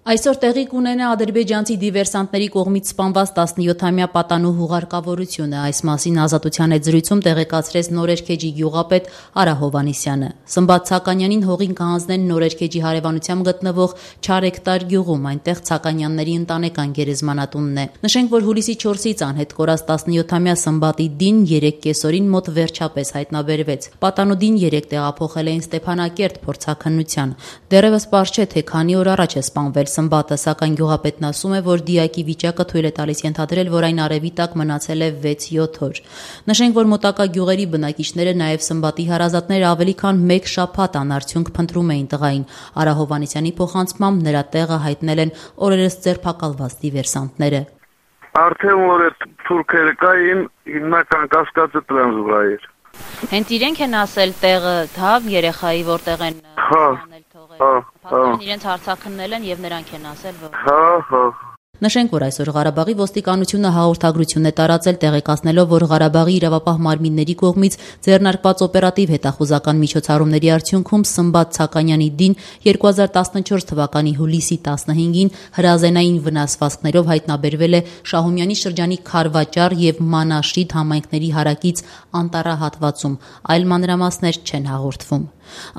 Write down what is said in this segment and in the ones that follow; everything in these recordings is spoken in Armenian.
Այսօր տեղի կունենա ադրբեջանցի դիվերսանտների կողմից սպանված 17-ամյա պատանու հուղարկավորությունը։ Այս մասին Ազատության հետ զրույցում տեղեկացրեց Նորերքեջի գյուղապետ Արա Հովհաննիսյանը։ Սմբատ Ցականյանին հողին կհանձնեն Նորերքեջի հարևանությամբ գտնվող Չարեկտար գյուղում, այնտեղ Ցականյանների ընտանեկան գերեզմանատունն է։ Նշենք, որ հուլիսի 4-ից անհետ կորած 17-ամյա Սմբատի Դին 3 կեսօրին մոտ վերջապես հայտնաբերվեց։ Պատանու Դին 3 տեղափոխել էին Ստեփանակերտ փորձաքննության։ Դեռևս պարզ չէ, թե քանի օր առաջ է սպանվել Սմբատը, սակայն գյուղապետն ասում է, որ դիակի վիճակը թույլ է տալիս ենթադրել, որ այն արևի տակ մնացել է 6-7 օր։ Նշենք, որ մոտակա գյուղերի բնակիչները նաև Սմբատի հարազատները ավելի քան 1 շաբաթ անարդյունք փնտրում էին տղային։ Արա Հովհաննիսյանի փոխանցմամբ նրա տեղը հայտնել են օրերս ձերբակալված դիվերսանտները։ Արդեն որ այդ թուրքերը կային, հիմնական կասկածը դրանց վրա էր։ Հենց իրենք են ասել տեղը թավ երեխայի որտեղ են անել թողել։ Պատկերն իրենց հարցաքննել են եւ նրանք են ասել, որ Նշենք, որ այսօր Ղարաբաղի ոստիկանությունը հաղորդագրություն է տարածել, տեղեկացնելով, որ Ղարաբաղի իրավապահ մարմինների կողմից ձեռնարկված օպերատիվ հետախուզական միջոցառումների արդյունքում Սմբատ Ցականյանի Դին 2014 թվականի հուլիսի 15-ին հրազենային վնասվածքներով հայտնաբերվել է Շահումյանի շրջանի Քարվաճար եւ Մանաշիդ համայնքների հարակից Անտառա հատվածում, այլ մանրամասներ չեն հաղորդվում։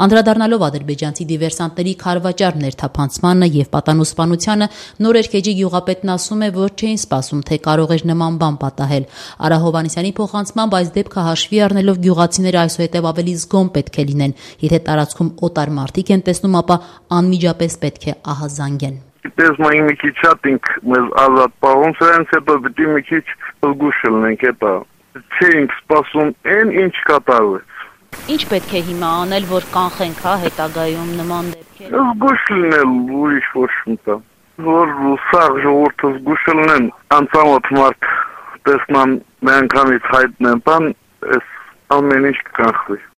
Անդրադառնալով ադրբեջանցի դիվերսանտների Քարվաճար ներթափանցմանը եւ պատանուսպանությանը, Նորերքեջի գյուղապետն ասում է, որ չէին սպասում, թե կարող էր նման բան պատահել։ Արա Հովհաննիսյանի փոխանցմամբ այս դեպքը հաշվի առնելով գյուղացիները այսուհետև ավելի զգոն պետք է լինեն։ Եթե տարածքում օտար մարդիկ են տեսնում, ապա անմիջապես պետք է ահազանգեն։ Դες mai մի քիչ շատինք մեզ ազատ պահում, սրանց հետո պիտի մի քիչ զգուշ լինենք, հետո չէինք սպասում այն ինչ կատարվեց։ Ինչ պետք է հիմա անել, որ կանխենք, հետագայում նման դեպքեր։ Զգուշ լինել, ուրիշ ոչ մի որ սաղ ժողովուրդը զգուշ լինեն, անծանոթ մարդ տեսնան մի անգամից հայտնեն, բան, այս ամեն ինչ կկանխվի։